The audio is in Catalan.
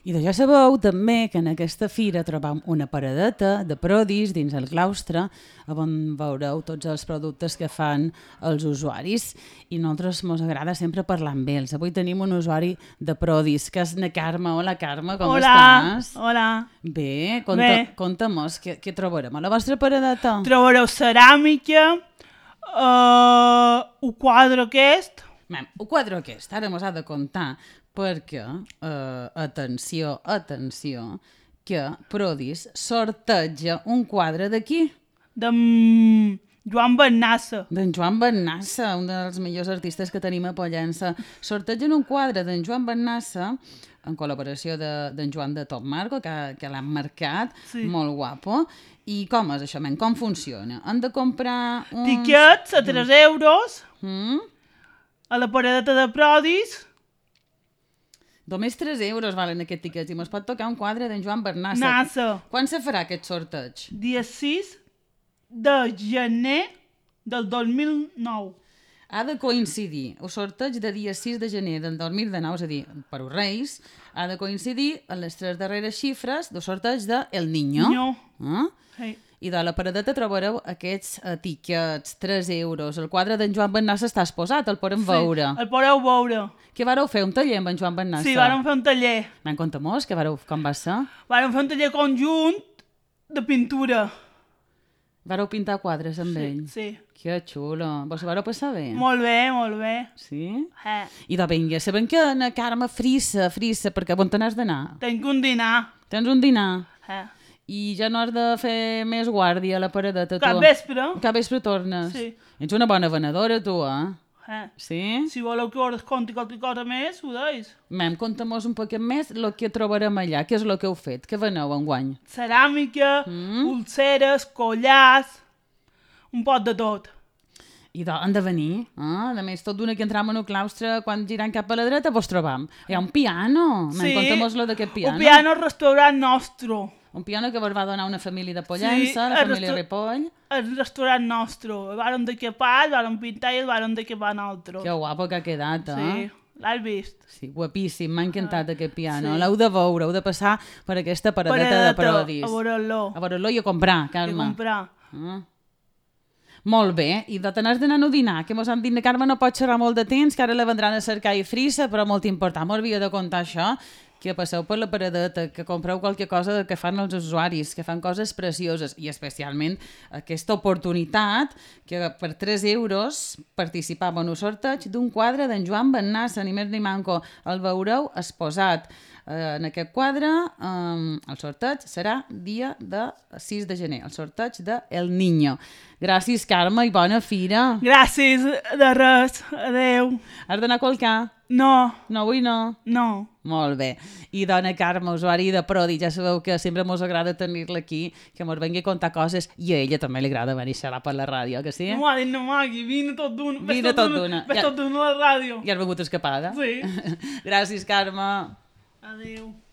I de ja sabeu també que en aquesta fira trobam una paradeta de prodis dins el claustre on veureu tots els productes que fan els usuaris i a nosaltres ens agrada sempre parlar amb ells. Avui tenim un usuari de prodis que és na Carme. Hola Carme, com estàs? Hola. Bé, conta-mos què trobarem a la vostra paradeta. Trobareu ceràmica, un quadre aquest. Un quadre aquest, ara mos ha de contar perquè, atenció, que Prodis sorteja un quadre d'aquí. D'en Joan Bernassa. D'en Joan Bernassa, un dels millors artistes que tenim a Pollença. Sortegen un quadre d'en Joan Bernassa en col·laboració d'en Joan de Top Marco, que l'han marcat, sí. Molt guapo. I com és això, com funciona? Han de comprar uns... Tiquets a 3 euros a la paradeta de Prodis. Només 3 euros valen aquests tiquets i mos pot tocar un quadre d'en Joan Bernassa. Nassa. Quan se farà aquest sorteig? Dia 6 de gener del 2009. Ha de coincidir el sorteig de dia 6 de gener del 2009, és a dir, per als Reis, ha de coincidir en les 3 darreres xifres del sorteig de El Niño. Sí. I de la paradeta trobareu aquests tiquets, 3 euros. El quadre d'en Joan Bernassa està exposat, el podem veure. El podeu veure. Què vareu fer, un taller amb en Joan Bernassa? Sí, vàrem fer un taller. Conta-mos, com va ser? Vàrem fer un taller conjunt de pintura. Vareu pintar quadres amb ell? Sí. Que xulo. Vos ho vareu passar bé? Molt bé, molt bé. Sí? I de vinga, sabem que na Carme frissa, perquè on te n'has d'anar? Tenc un dinar. Tens un dinar? I ja no has de fer més guàrdia a la paradeta, tu? Cap vespre. Cap vespre tornes? Sí. Ets una bona venedora, tu, Sí? Si voleu que us conti qualque cosa més, ho deis. Conta-mos un poquet més el que trobarem allà. Què és el que heu fet? Què veneu enguany? Ceràmica, pulseres, collars, un pot de tot. I han de venir. A més, tot d'una que entram en el claustre, quan girant cap a la dreta, vos trobam. Hi ha un piano. Sí, conta-mos-lo d'aquest piano. Un piano al restaurant nostre. Un piano que vos va donar una família de Pollença, la família Ripoll. El restaurant nostre. El vàrem d'equipar, el vàrem pintar i el vàrem d'equipar nosaltres. Que guapo que ha quedat, Sí, l'has vist? Sí, guapíssim, m'ha encantat aquest piano. L'heu de veure, heu de passar per aquesta paradeta de Prodis. A veure-lo. A veure-lo i a comprar, Carme. I a comprar. Molt bé, i de tenir d'anar a dinar, que mos han dit que Carme no pot xerrar molt de temps, que ara la vendran a cercar i frissa, però molt important, m'ho havia de contar això, que passeu per la paradeta, que compreu qualque cosa que fan els usuaris, que fan coses precioses, i especialment aquesta oportunitat que per 3 euros participàvem en un sorteig d'un quadre d'en Joan Bernassa, ni més ni manco. El veureu exposat en aquest quadre. El sorteig serà dia de 6 de gener, el sorteig de El Niño. Gràcies, Carme, i bona fira. Gràcies, de res. Adeu. Has d'anar a qualcar? No. No, avui no? No. Molt bé. I dona Carme, usuari de Prodi, ja sabeu que sempre mos agrada tenir-la aquí, que mos vengui a contar coses, i a ella també li agrada venir a xerrar per la ràdio, que sí? No m'ha dit no magui, vine tot d'una. Vine tot d'una. Ves tot d'una a la ràdio. Ja has begut escapada? Sí. Gràcies, Carme. Adéu.